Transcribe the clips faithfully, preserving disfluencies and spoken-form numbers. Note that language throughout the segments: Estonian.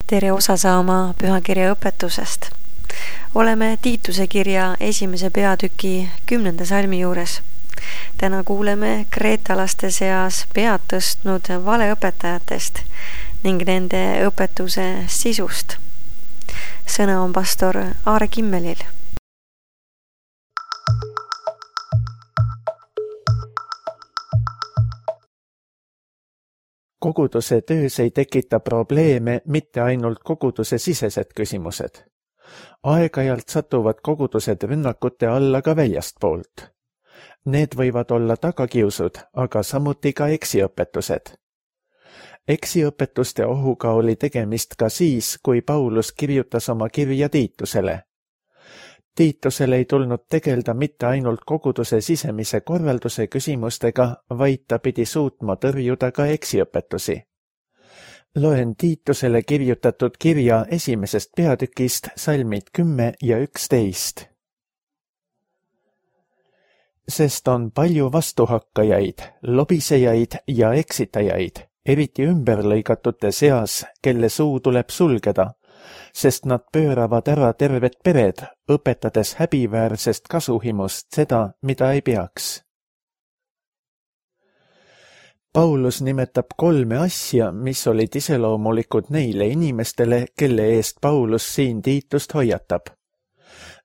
tere osa saama pühakirja õpetusest. Oleme Tiituse kirja esimese peatüki kümnenda salmi juures. Täna kuuleme kreetalaste seas pead tõstnud valeõpetajatest ning nende õpetuse sisust. Sõna on pastor Aare Kimmelil. Koguduse töös ei tekita probleeme mitte ainult koguduse sisesed küsimused. Aeg-ajalt satuvad kogudused rünnakute alla ka väljastpoolt. Need võivad olla tagakiusud, aga samuti ka eksiõpetused. Eksiõpetuste ohuga oli tegemist ka siis, kui Paulus kirjutas oma kirja Tiitusele. Tiitusel ei tulnud tegelda mitte ainult koguduse sisemise korralduse küsimustega, vaid ta pidi suutma tõrjuda ka eksiõpetusi. Loen Tiitusele kirjutatud kirja esimesest peatükist salmid kümme ja üksteist. Sest on palju vastuhakkajaid, lobisejaid ja eksitajaid, eriti ümberlõigatute seas, kelle suu tuleb sulgeda, sest nad pööravad ära terved pered, õpetades häbiväärsest kasuhimust seda, mida ei peaks. Paulus nimetab kolme asja, mis olid iseloomulikud neile inimestele, kelle eest Paulus siin Tiitust hoiatab.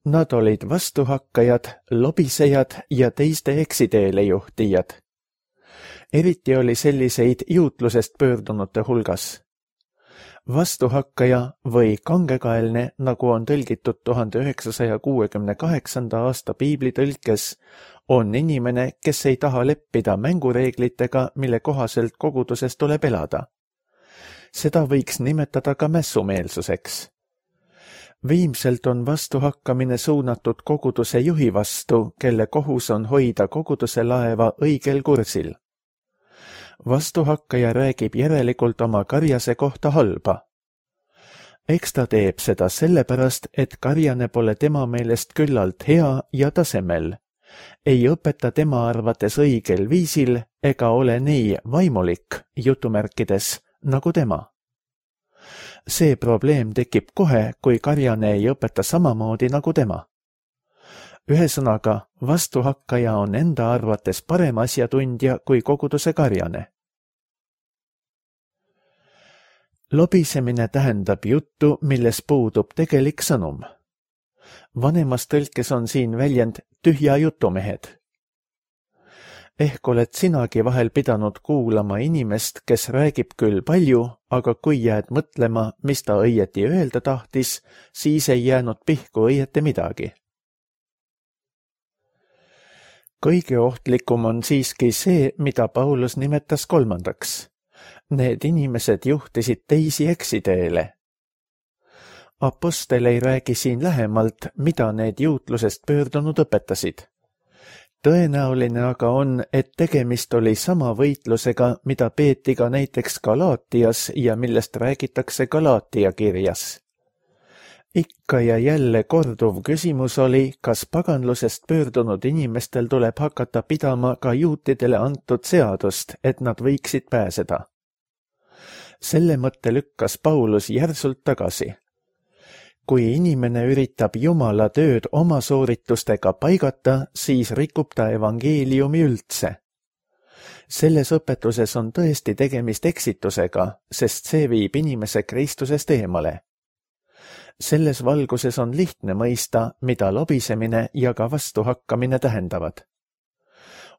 Nad olid vastuhakkajad, lobisejad ja teiste eksiteele juhtijad. Eriti oli selliseid juutlusest pöördunute hulgas. Vastuhakkaja või kangekaelne, nagu on tõlgitud tuhande üheksasaja kuuekümne kaheksanda aasta piiblitõlkes, on inimene, kes ei taha leppida mängureeglitega, mille kohaselt koguduses tuleb elada. Seda võiks nimetada ka mässumeelsuseks. Viimselt on vastuhakkamine suunatud koguduse juhi vastu, kelle kohus on hoida koguduse laeva õigel kursil. Vastuhakkaja räägib järelikult oma karjase kohta halba. Eks ta teeb seda sellepärast, et karjane pole tema meelest küllalt hea ja tasemel. Ei õpeta tema arvates õigel viisil ega ole nii vaimulik, jutumärkides, nagu tema. See probleem tekib kohe, kui karjane ei õpeta samamoodi nagu tema. Ühesõnaga, vastuhakkaja on enda arvates parem asjatundja kui koguduse karjane. Lobisemine tähendab juttu, milles puudub tegelik sõnum. Vanemas tõlkes on siin väljend tühja jutumehed. Ehk oled sinagi vahel pidanud kuulama inimest, kes räägib küll palju, aga kui jääd mõtlema, mis ta õieti öelda tahtis, siis ei jäänud pihku õieti midagi. Kõige ohtlikum on siiski see, mida Paulus nimetas kolmandaks. Need inimesed juhtisid teisi eksiteele. Apostel ei räägi siin lähemalt, mida need juutlusest pöördunud õpetasid. Tõenäoline aga on, et tegemist oli sama võitlusega, mida peeti ka näiteks Galaatias ja millest räägitakse Galaatia kirjas. Ikka ja jälle korduv küsimus oli, kas paganlusest pöördunud inimestel tuleb hakata pidama ka juutidele antud seadust, et nad võiksid pääseda. Selle mõtte lükkas Paulus järsult tagasi. Kui inimene üritab Jumala tööd oma sooritustega paigata, siis rikub ta evangeeliumi üldse. Selles õpetuses on tõesti tegemist eksitusega, sest see viib inimese Kristusest eemale. Selles valguses on lihtne mõista, mida lobisemine ja ka vastuhakkamine tähendavad.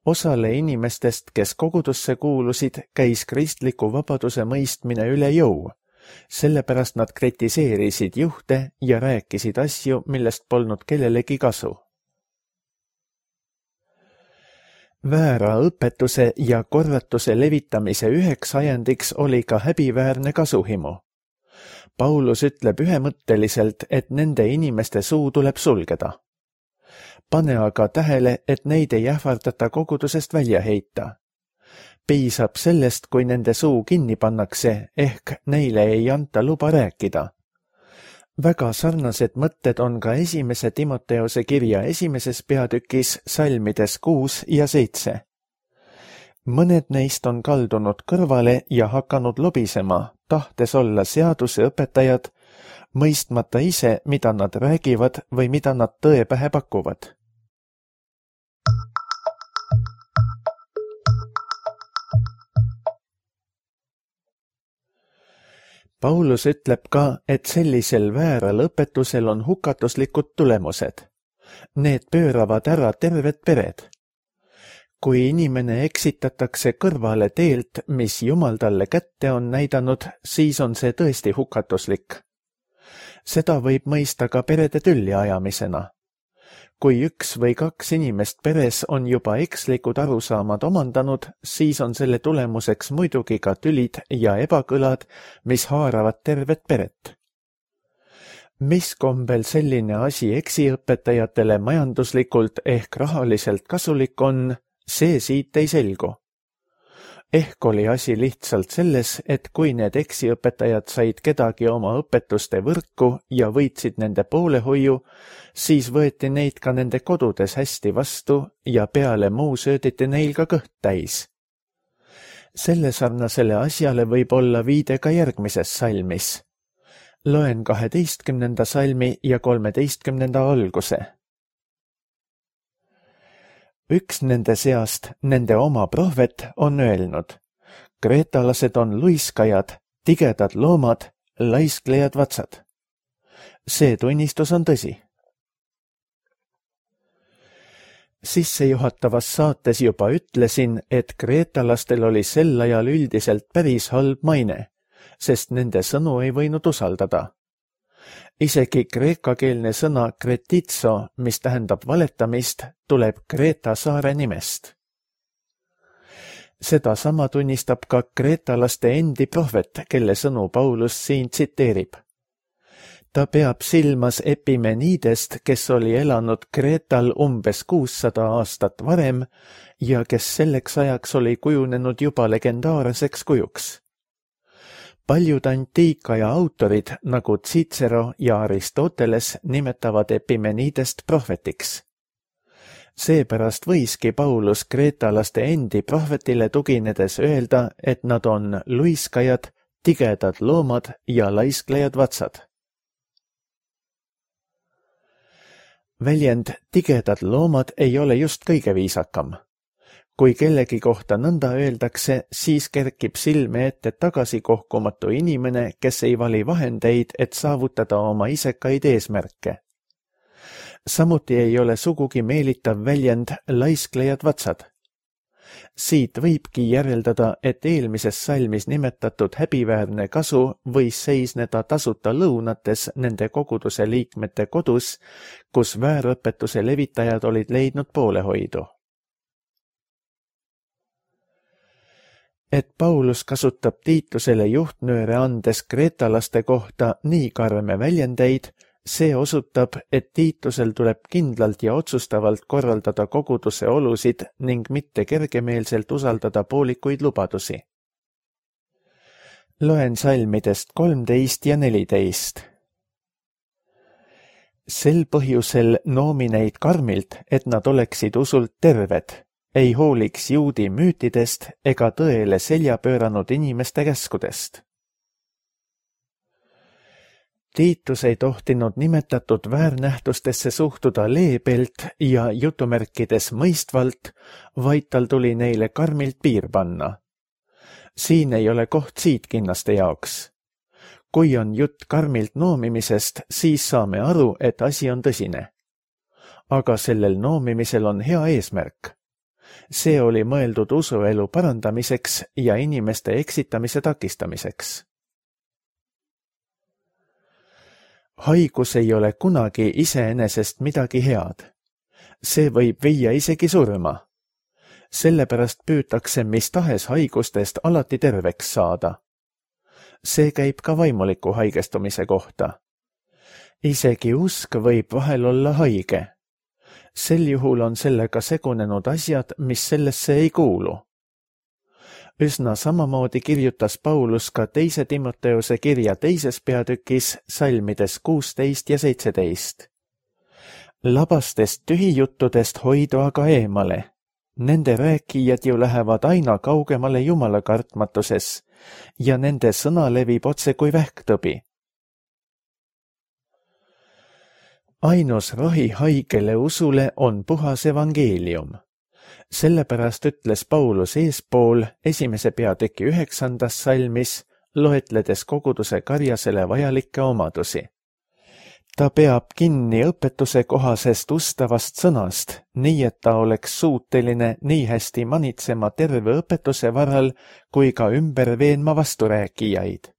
Osale inimestest, kes kogudusse kuulusid, käis kristliku vabaduse mõistmine üle jõu. Sellepärast nad kritiseerisid juhte ja rääkisid asju, millest polnud kellelegi kasu. Väära õpetuse ja korratuse levitamise üheks ajendiks oli ka häbiväärne kasuhimu. Paulus ütleb ühemõtteliselt, et nende inimeste suu tuleb sulgeda. Pane aga tähele, et neid ei ähvardata kogudusest välja heita. Piisab sellest, kui nende suu kinni pannakse, ehk neile ei anta luba rääkida. Väga sarnased mõtted on ka esimese Timoteose kirja esimeses peatükis salmides kuus ja seitse. mõned neist on kaldunud kõrvale ja hakanud lobisema, tahtes olla seaduseõpetajad, mõistmata ise, mida nad räägivad või mida nad tõe pähe pakuvad. Paulus ütleb ka, et sellisel vääral õpetusel on hukatuslikud tulemused. Need pööravad ära terved pered. Kui inimene eksitatakse kõrvale teelt, mis Jumal talle kätte on näidanud, siis on see tõesti hukatuslik. Seda võib mõista ka perede tülli ajamisena. Kui üks või kaks inimest peres on juba ekslikud arusaamad omandanud, siis on selle tulemuseks muidugi ka tülid ja ebakõlad, mis haaravad tervet peret. Mis kombel selline asi eksiõpetajatele majanduslikult ehk rahaliselt kasulik on, see siit ei selgu. Ehk oli asi lihtsalt selles, et kui need eksiõpetajad said kedagi oma õpetuste võrku ja võitsid nende poolehoiu, siis võeti neid ka nende kodudes hästi vastu ja peale muu sööditi neil ka kõht täis. Selle sarnasele asjale võib olla viide ka järgmises salmis. Loen kaheteistkümnenda salmi ja kolmeteistkümnenda alguse. Üks nende seast, nende oma prohvet, on öelnud: kreetalased on luiskajad, tigedad loomad, laisklejad vatsad. See tunnistus on tõsi. Sissejuhatavas saates juba ütlesin, et kreetalastel oli sel ajal üldiselt päris halb maine, sest nende sõnu ei võinud usaldada. Isegi kreekakeelne sõna kretitso, mis tähendab valetamist, tuleb Kreeta saare nimest. Seda sama tunnistab ka kreetalaste endi prohvet, kelle sõnu Paulus siin tsiteerib. Ta peab silmas Epimenidest, kes oli elanud Kreetal umbes kuussada aastat varem ja kes selleks ajaks oli kujunenud juba legendaarseks kujuks. Paljud antiikaja autorid, nagu Cicero ja Aristoteles, nimetavad Epimenidest prohvetiks. Seepärast võiski Paulus kreetalaste endi prohvetile tuginedes öelda, et nad on luiskajad, tigedad loomad ja laisklejad vatsad. Väljend tigedad loomad ei ole just kõige viisakam. Kui kellegi kohta nõnda öeldakse, siis kerkib silme ette tagasikohkumatu inimene, kes ei vali vahendeid, et saavutada oma isekaid eesmärke. Samuti ei ole sugugi meelitav väljend laisklejad vatsad. Siit võibki järeldada, et eelmises salmis nimetatud häbiväärne kasu võis seisneda tasuta lõunates nende koguduse liikmete kodus, kus väärõpetuse levitajad olid leidnud poolehoidu. Et Paulus kasutab Tiitusele juhtnööre andes kreetalaste kohta nii karme väljendeid, see osutab, et Tiitusel tuleb kindlalt ja otsustavalt korraldada koguduse olusid ning mitte kergemeelselt usaldada poolikuid lubadusi. Loen salmidest kolmteist ja neliteist. Sel põhjusel noomi neid karmilt, et nad oleksid usult terved, ei hooliks juudi müütidest ega tõele selja pööranud inimeste käskudest. Tiitus ei tohtinud nimetatud väärnähtustesse suhtuda leebelt ja jutumärkides mõistvalt, vaid tal tuli neile karmilt piir panna. Siin ei ole koht siitkinnaste jaoks. Kui on jutt karmilt noomimisest, siis saame aru, et asi on tõsine. Aga sellel noomimisel on hea eesmärk. See oli mõeldud usuelu parandamiseks ja inimeste eksitamise takistamiseks. Haigus ei ole kunagi iseenesest midagi head. See võib viia isegi surma. Sellepärast püütakse mis tahes haigustest alati terveks saada. See käib ka vaimuliku haigestumise kohta. Isegi usk võib vahel olla haige. Sel juhul on sellega segunenud asjad, mis sellesse ei kuulu. Üsna samamoodi kirjutas Paulus ka teise Timoteuse kirja teises peatükis salmides kuusteist ja seitseteist. Labastest tühijuttudest hoidu aga eemale. Nende rääkijad ju lähevad aina kaugemale Jumala kartmatuses ja nende sõna levib otse kui vähktõbi. Ainus rohi haigele usule on puhas evangeelium. Sellepärast ütles Paulus eespool esimese peatüki üheksandas salmis, loetledes koguduse karjasele vajalikke omadusi. Ta peab kinni õpetuse kohasest ustavast sõnast, nii et ta oleks suuteline nii hästi manitsema terve õpetuse varal kui ka ümber veenma vasturääkijaid.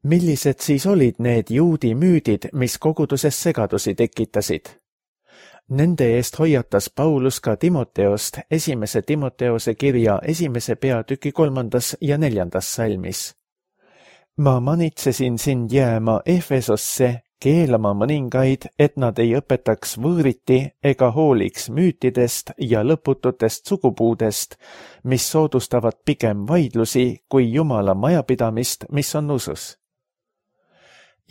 Millised siis olid need juudi müüdid, mis koguduses segadusi tekitasid? Nende eest hoiatas Paulus ka Timoteost esimese Timoteose kirja esimese peatüki kolmandas ja neljandas salmis. Ma manitsesin sind jääma Efesosse, keelama mõningaid, et nad ei õpetaks võõriti ega hooliks müütidest ja lõpututest sugupuudest, mis soodustavad pigem vaidlusi kui Jumala majapidamist, mis on usus.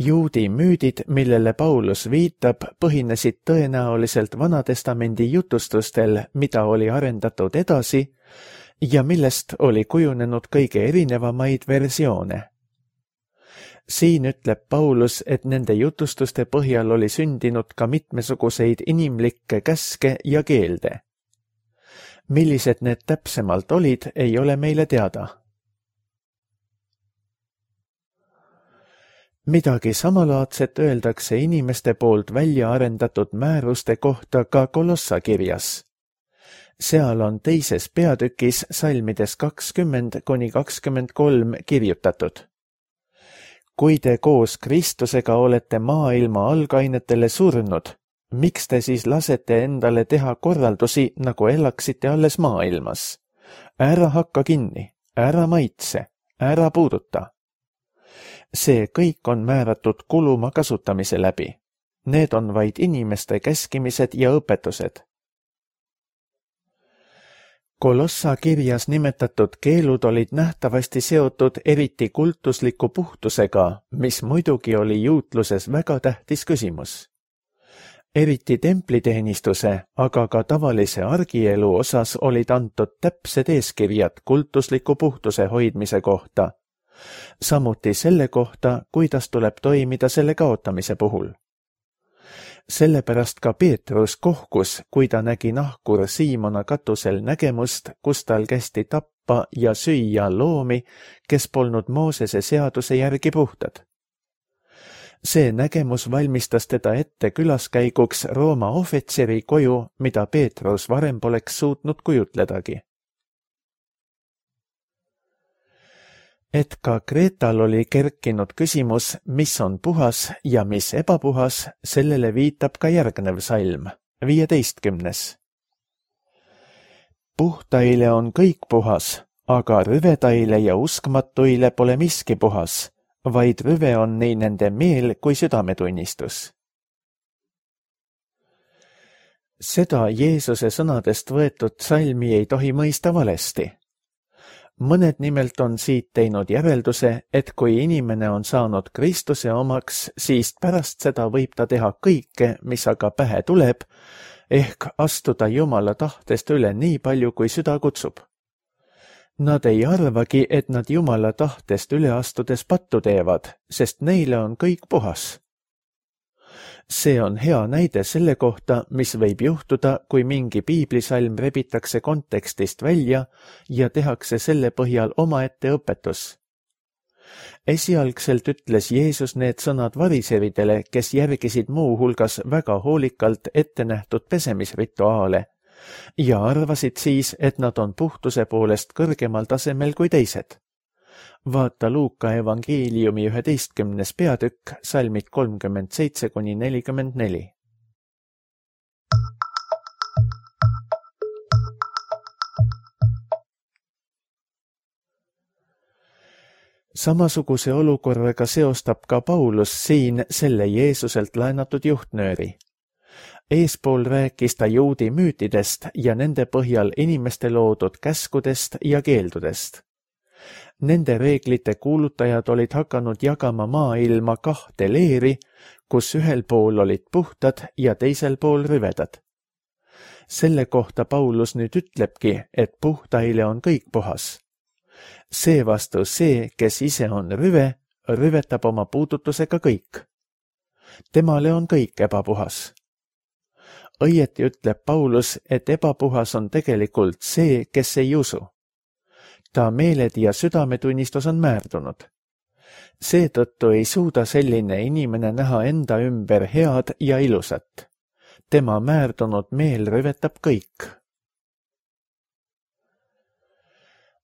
Juudi müüdid, millele Paulus viitab, põhinesid tõenäoliselt Vanatestamendi jutustustel, mida oli arendatud edasi ja millest oli kujunenud kõige erinevamaid versioone. Siin ütleb Paulus, et nende jutustuste põhjal oli sündinud ka mitmesuguseid inimlikke käske ja keelde. Millised need täpsemalt olid, ei ole meile teada. Midagi samalaadset öeldakse inimeste poolt välja arendatud määruste kohta ka Kolossa kirjas. Seal on teises peatükis salmides kakskümmend kuni kakskümmend kolm kirjutatud. Kui te koos Kristusega olete maailma algainetele surnud, miks te siis lasete endale teha korraldusi, nagu elaksite alles maailmas? Ära hakka kinni, ära maitse, ära puuduta. See kõik on määratud kuluma kasutamise läbi. Need on vaid inimeste käskimised ja õpetused. Kolossa kirjas nimetatud keelud olid nähtavasti seotud eriti kultusliku puhtusega, mis muidugi oli juutluses väga tähtis küsimus. Eriti templiteenistuse, aga ka tavalise argielu osas olid antud täpsed eeskirjad kultusliku puhtuse hoidmise kohta, samuti selle kohta, kuidas tuleb toimida selle kaotamise puhul. Sellepärast ka Peetrus kohkus, kui ta nägi nahkur Siimona katusel nägemust, kus tal kästi tappa ja süüa loomi, kes polnud Moosese seaduse järgi puhtad. See nägemus valmistas teda ette külaskäiguks Rooma ohvitseri koju, mida Peetrus varem poleks suutnud kujutledagi. Et ka Kreetal oli kerkinud küsimus, mis on puhas ja mis ebapuhas, sellele viitab ka järgnev salm, viieteistkümnes. Puhtaile on kõik puhas, aga rüvedaile ja uskmatuile pole miski puhas, vaid rüve on nii nende meel kui südametunnistus. Seda Jeesuse sõnadest võetud salmi ei tohi mõista valesti. Mõned nimelt on siit teinud järelduse, et kui inimene on saanud Kristuse omaks, siis pärast seda võib ta teha kõike, mis aga pähe tuleb, ehk astuda Jumala tahtest üle nii palju, kui süda kutsub. Nad ei arvagi, et nad Jumala tahtest üle astudes pattu teevad, sest neile on kõik puhas. See on hea näide selle kohta, mis võib juhtuda, kui mingi piiblisalm rebitakse kontekstist välja ja tehakse selle põhjal omaette õpetus. Esialgselt ütles Jeesus need sõnad variseridele, kes järgisid muu hulgas väga hoolikalt ette nähtud pesemisrituaale ja arvasid siis, et nad on puhtuse poolest kõrgemal tasemel kui teised. Vaata Luuka evangeeliumi üheteistkümnes peatükk, salmid kolmkümmend seitse kuni nelikümmend neli. Samasuguse olukorraga seostab ka Paulus siin selle Jeesuselt laenatud juhtnööri. Eespool rääkis ta juudi müütidest ja nende põhjal inimeste loodud käskudest ja keeldudest. Nende reeglite kuulutajad olid hakanud jagama maailma kahte leeri, kus ühel pool olid puhtad ja teisel pool rüvedad. Selle kohta Paulus nüüd ütlebki, et puhtaile on kõik puhas. Seevastu see, kes ise on rüve, rüvetab oma puudutusega kõik. Temale on kõik ebapuhas. Õieti ütleb Paulus, et ebapuhas on tegelikult see, kes ei usu. Ta meeled ja südametunnistus on määrdunud. Seetõttu ei suuda selline inimene näha enda ümber head ja ilusat. Tema määrdunud meel rüvetab kõik.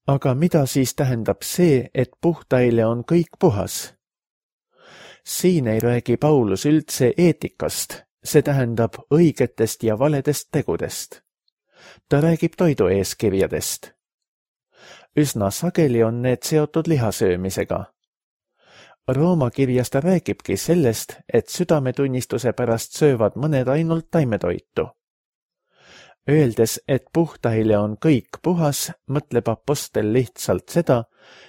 Aga mida siis tähendab see, et puhtaile on kõik puhas? Siin ei räägi Paulus üldse eetikast, see tähendab õigetest ja valedest tegudest. Ta räägib toidueeskirjadest. Üsna sageli on need seotud lihasöömisega. Rooma kirjas ta räägibki sellest, et südametunnistuse pärast söövad mõned ainult taimetoitu. Öeldes, et puhtaile on kõik puhas, mõtleb apostel lihtsalt seda,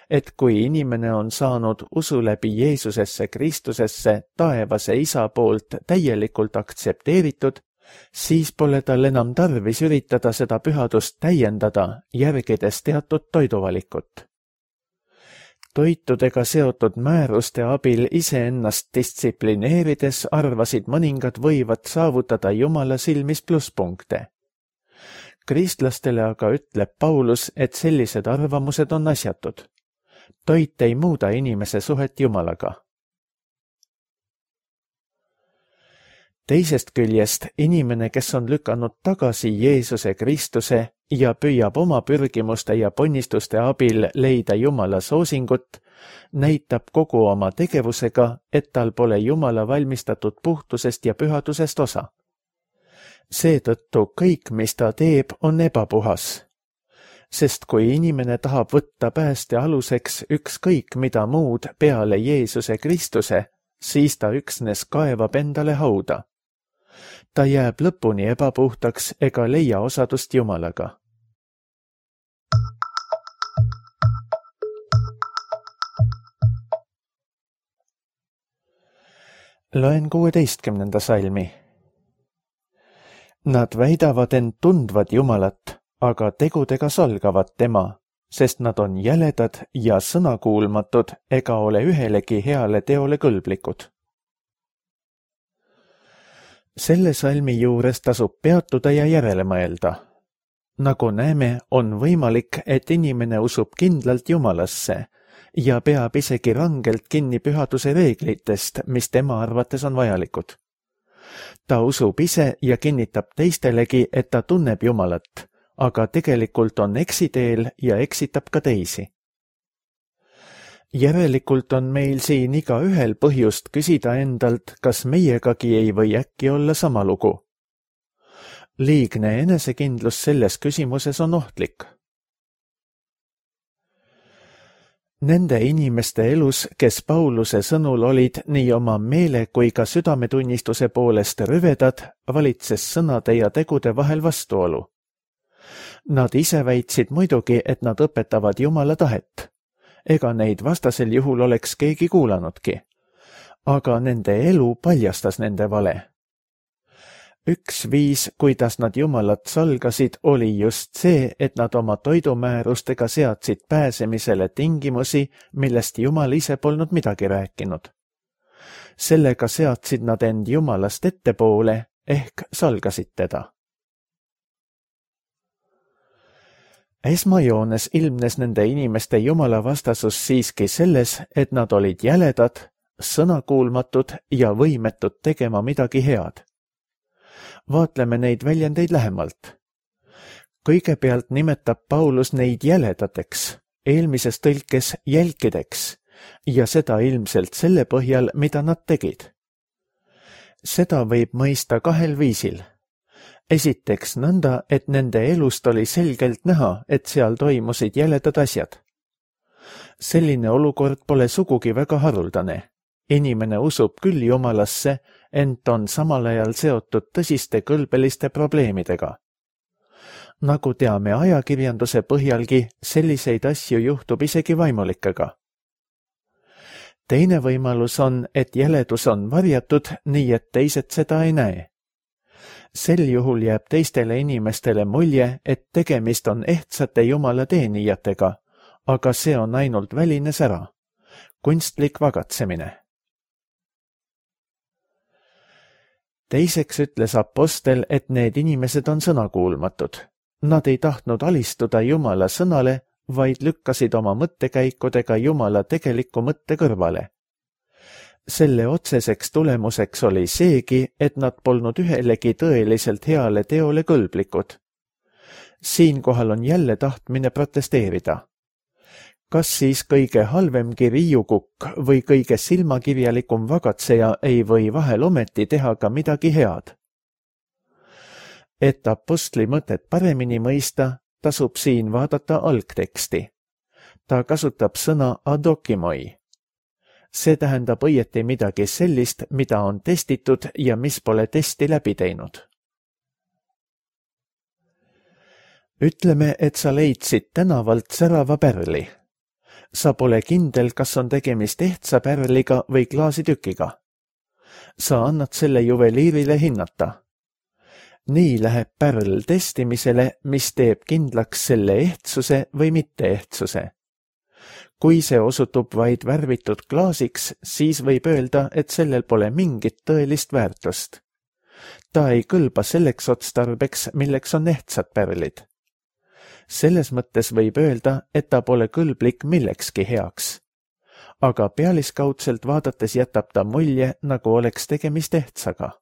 et kui inimene on saanud usu läbi Jeesusesse Kristusesse taevase isa poolt täielikult aktsepteeritud, siis pole tal enam tarvis üritada seda pühadust täiendada, järgides teatud toiduvalikut. Toitudega seotud määruste abil iseennast distsiplineerides arvasid mõningad võivad saavutada Jumala silmis plusspunkte. Kristlastele aga ütleb Paulus, et sellised arvamused on asjatud. Toit ei muuda inimese suhet Jumalaga. Teisest küljest inimene, kes on lükanud tagasi Jeesuse Kristuse ja püüab oma pürgimuste ja ponnistuste abil leida Jumala soosingut, näitab kogu oma tegevusega, et tal pole Jumala valmistatud puhtusest ja pühadusest osa. Seetõttu kõik, mis ta teeb, on ebapuhas. Sest kui inimene tahab võtta pääste aluseks ükskõik mida muud peale Jeesuse Kristuse, siis ta üksnes kaevab endale hauda. Ta jääb lõpuni ebapuhtaks ega leia osadust Jumalaga. Loen kuueteistkümnenda salmi. Nad väidavad end tundvad Jumalat, aga tegudega solgavad tema, sest nad on jäledad ja sõnakuulmatud ega ole ühelegi heale teole kõlblikud. Selle salmi juures tasub peatuda ja järele mõelda. Nagu näeme, on võimalik, et inimene usub kindlalt Jumalasse ja peab isegi rangelt kinni pühaduse reeglitest, mis tema arvates on vajalikud. Ta usub ise ja kinnitab teistelegi, et ta tunneb Jumalat, aga tegelikult on eksiteel ja eksitab ka teisi. Järelikult on meil siin iga ühel põhjust küsida endalt, kas meiegagi ei või äkki olla sama lugu. Liigne enesekindlus selles küsimuses on ohtlik. Nende inimeste elus, kes Pauluse sõnul olid nii oma meele kui ka südametunnistuse poolest rüvedad, valitses sõnade ja tegude vahel vastuolu. Nad ise väitsid muidugi, et nad õpetavad Jumala tahet. Ega neid vastasel juhul oleks keegi kuulanudki. Aga nende elu paljastas nende vale. Üks viis, kuidas nad Jumalat salgasid, oli just see, et nad oma toidumäärustega seadsid pääsemisele tingimusi, millest Jumal ise polnud midagi rääkinud. Sellega seadsid nad end Jumalast ettepoole, ehk salgasid teda. Esmajoones ilmnes nende inimeste Jumala vastasus siiski selles, et nad olid jäledad, sõnakuulmatud ja võimetud tegema midagi head. Vaatleme neid väljendeid lähemalt. Kõigepealt nimetab Paulus neid jäledateks, eelmises tõlkes jälkideks, ja seda ilmselt selle põhjal, mida nad tegid. Seda võib mõista kahel viisil. Esiteks nõnda, et nende elust oli selgelt näha, et seal toimusid jäledad asjad. Selline olukord pole sugugi väga haruldane. Inimene usub küll Jumalasse, ent on samal ajal seotud tõsiste kõlbeliste probleemidega. nagu teame ajakirjanduse põhjalgi, selliseid asju juhtub isegi vaimulikega. Teine võimalus on, et jäledus on varjatud, nii et teised seda ei näe. Sel juhul jääb teistele inimestele mulje, et tegemist on ehtsate jumala teenijatega, aga see on ainult väline sära, kunstlik vagatsemine. Teiseks ütles apostel, et need inimesed on sõnakuulmatud. Nad ei tahtnud alistuda jumala sõnale, vaid lükkasid oma mõttekäikudega jumala tegeliku mõtte kõrvale. Selle otseseks tulemuseks oli seegi, et nad polnud ühelegi tõeliselt heale teole kõlblikud. Siinkohal on jälle tahtmine protesteerida. Kas siis kõige halvemgi riiukukk või kõige silmakirjalikum vagatseja ei või vahel ometi teha ka midagi head? Et apostli mõtet paremini mõista, tasub siin vaadata algteksti. Ta kasutab sõna adokimoi. See tähendab õieti midagi sellist, mida on testitud ja mis pole testi läbi teinud. Ütleme, et sa leidsid tänavalt särava pärli. Sa pole kindel, kas on tegemist ehtsa pärliga või klaasitükiga. Sa annad selle juveliirile hinnata. Nii läheb pärl testimisele, mis teeb kindlaks selle ehtsuse või mitte ehtsuse. Kui see osutub vaid värvitud klaasiks, siis võib öelda, et sellel pole mingit tõelist väärtust. Ta ei kõlba selleks otstarbeks, milleks on ehtsad pärlid. Selles mõttes võib öelda, et ta pole kõlblik millekski heaks. Aga pealiskaudselt vaadates jätab ta mulje, nagu oleks tegemist ehtsaga.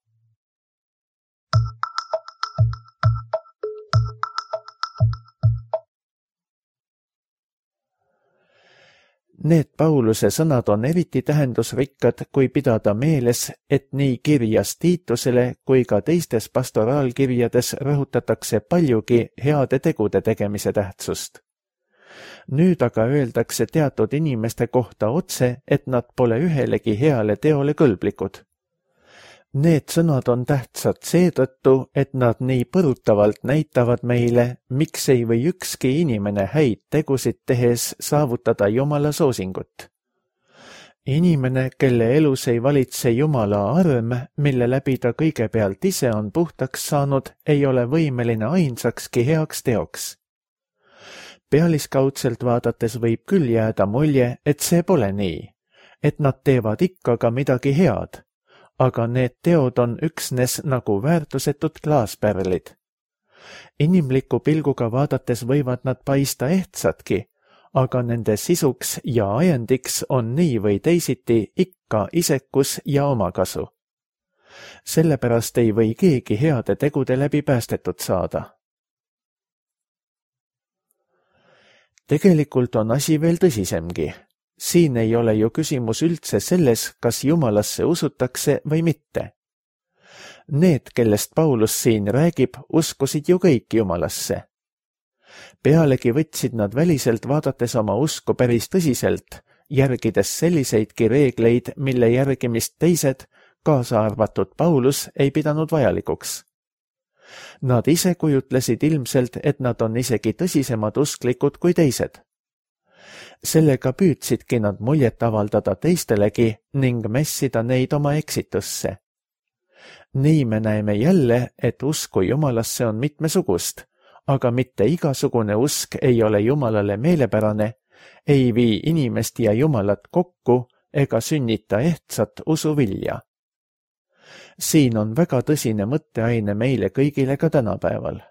Need Pauluse sõnad on eriti tähendusrikkad, kui pidada meeles, et nii kirjas Tiitusele kui ka teistes pastoraalkirjades rõhutatakse paljugi heade tegude tegemise tähtsust. Nüüd aga öeldakse teatud inimeste kohta otse, et nad pole ühelegi heale teole kõlblikud. Need sõnad on tähtsad seetõttu, et nad nii põrutavalt näitavad meile, miks ei või ükski inimene häid tegusid tehes saavutada Jumala soosingut. Inimene, kelle elus ei valitse Jumala arm, mille läbi ta kõigepealt ise on puhtaks saanud, ei ole võimeline ainsakski heaks teoks. Pealiskaudselt vaadates võib küll jääda mulje, et see pole nii, et nad teevad ikka ka midagi head. Aga need teod on üksnes nagu väärtusetud klaaspärlid. Inimliku pilguga vaadates võivad nad paista ehtsadki, aga nende sisuks ja ajendiks on nii või teisiti ikka isekus ja omakasu. Sellepärast ei või keegi heade tegude läbi päästetud saada. Tegelikult on asi veel tõsisemgi. Siin ei ole ju küsimus üldse selles, kas Jumalasse usutakse või mitte. Need, kellest Paulus siin räägib, uskusid ju kõik Jumalasse. Pealegi võtsid nad väliselt vaadates oma usku päris tõsiselt, järgides selliseidki reegleid, mille järgimist teised, kaasa arvatud Paulus, ei pidanud vajalikuks. Nad ise kujutlesid ilmselt, et nad on isegi tõsisemad usklikud kui teised. Sellega püüdsidki nad muljet avaldada teistelegi ning mässida neid oma eksitusse. Nii me näeme jälle, et usku Jumalasse on mitmesugust, aga mitte igasugune usk ei ole Jumalale meelepärane, ei vii inimest ja Jumalat kokku ega sünnita ehtsat usuvilja. Siin on väga tõsine mõtteaine meile kõigile ka tänapäeval.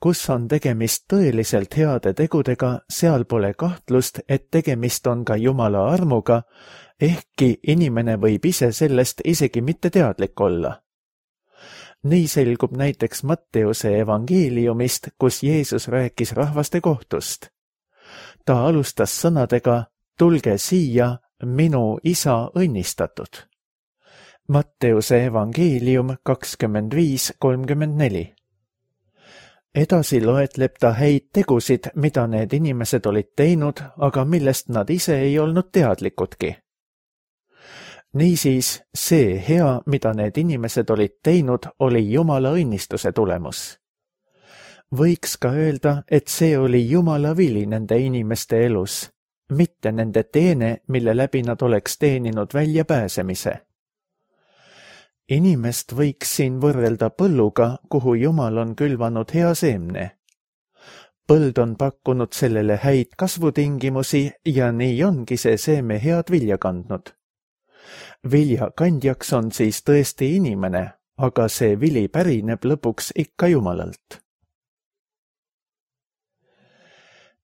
Kus on tegemist tõeliselt heade tegudega, seal pole kahtlust, et tegemist on ka Jumala armuga, ehkki inimene võib ise sellest isegi mitte teadlik olla. Nii selgub näiteks Matteuse evangeeliumist, kus Jeesus rääkis rahvaste kohtust. Ta alustas sõnadega, tulge siia, minu isa õnnistatud. Matteuse evangeelium kakskümmend viis kolmkümmend neli. Edasi loetleb ta häid tegusid, mida need inimesed olid teinud, aga millest nad ise ei olnud teadlikudki. Niisiis, see hea, mida need inimesed olid teinud, oli Jumala õnnistuse tulemus. Võiks ka öelda, et see oli Jumala vili nende inimeste elus, mitte nende teene, mille läbi nad oleks teeninud väljapääsemise. Inimest võiks siin võrrelda põlluga, kuhu Jumal on külvanud hea seemne. Põld on pakkunud sellele häid kasvutingimusi ja nii ongi see seeme head vilja kandnud. Vilja kandjaks on siis tõesti inimene, aga see vili pärineb lõpuks ikka Jumalalt.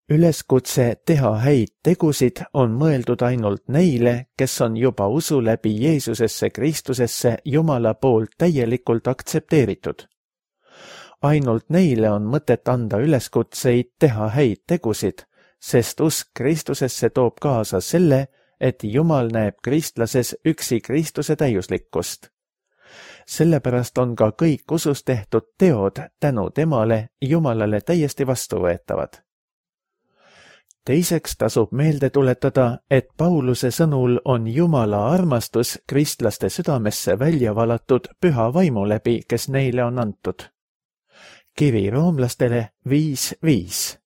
Üleskutse teha häid tegusid on mõeldud ainult neile, kes on juba usu läbi Jeesusesse Kristusesse Jumala poolt täielikult aktsepteeritud. Ainult neile on mõtet anda üleskutseid teha häid tegusid, sest usk Kristusesse toob kaasa selle, et Jumal näeb kristlases üksi Kristuse täiuslikkust. Sellepärast on ka kõik usus tehtud teod tänu temale Jumalale täiesti vastuvõetavad. Teiseks tasub meelde tuletada, et Pauluse sõnul on Jumala armastus kristlaste südamesse välja valatud püha vaimu läbi, kes neile on antud. Kiri roomlastele viis viis.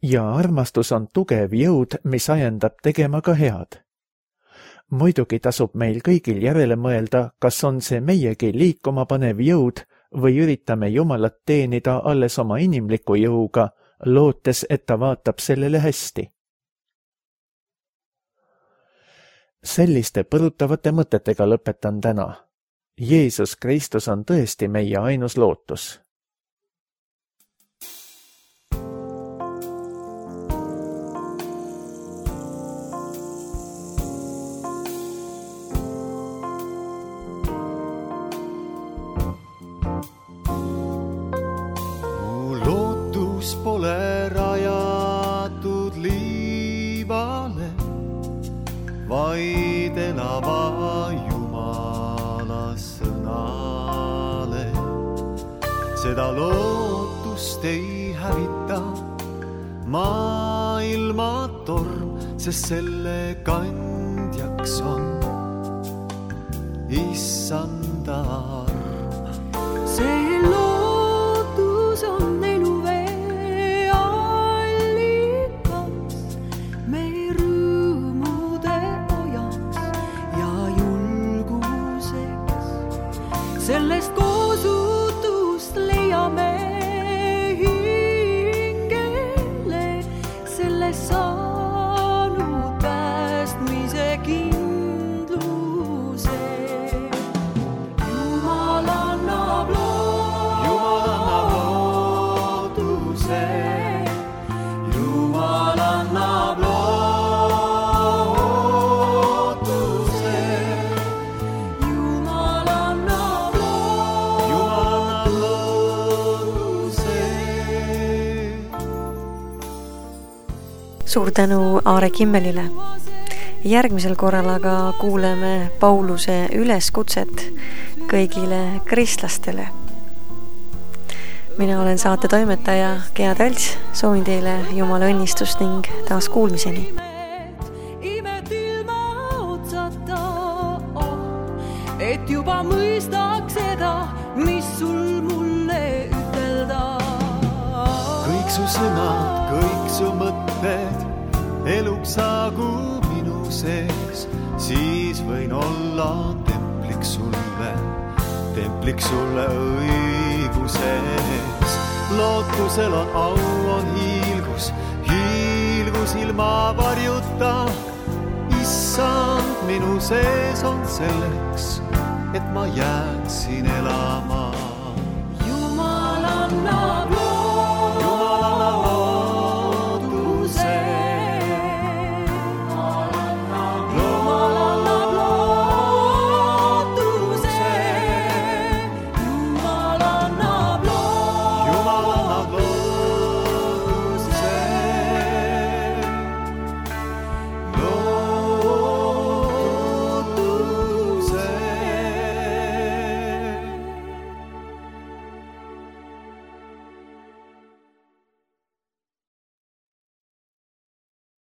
Ja armastus on tugev jõud, mis ajendab tegema ka head. Muidugi tasub meil kõigil järele mõelda, kas on see meiegi liikuma panev jõud või üritame Jumalat teenida alles oma inimliku jõuga, lootes, et ta vaatab sellele hästi. Selliste põrutavate mõtetega lõpetan täna. Jeesus Kristus on tõesti meie ainus lootus. Pole rajatud liivale, vaid elava Jumala sõnale. Seda lootust ei hävita maailma torm, sest selle kandjaks on Issanda arm. See lootus on sellest koosutust leiame hingele, sellest saanud päästmise kindluse. Jumal annab lootuse, Jumal annab lootuse, Jumal annab Suur tänu Aare Kimmelile. Järgmisel korral aga kuuleme Pauluse üleskutset kõigile kristlastele. Mina olen saate toimetaja Gea Talts, soovin teile Jumala õnnistust ning taas kuulmiseni. Imet ilma otsata, et juba mõistaks seda, mis sul mulle ütelda. Kõik su sõnad, kõik su mõtted eluks saagu minu sees, siis võin olla templiks sulle, templiks sulle õiguses. Lootusel on au, on hiilgus, hiilgus ilma varjuta. Issand minu sees on selleks, et ma jääksin elama.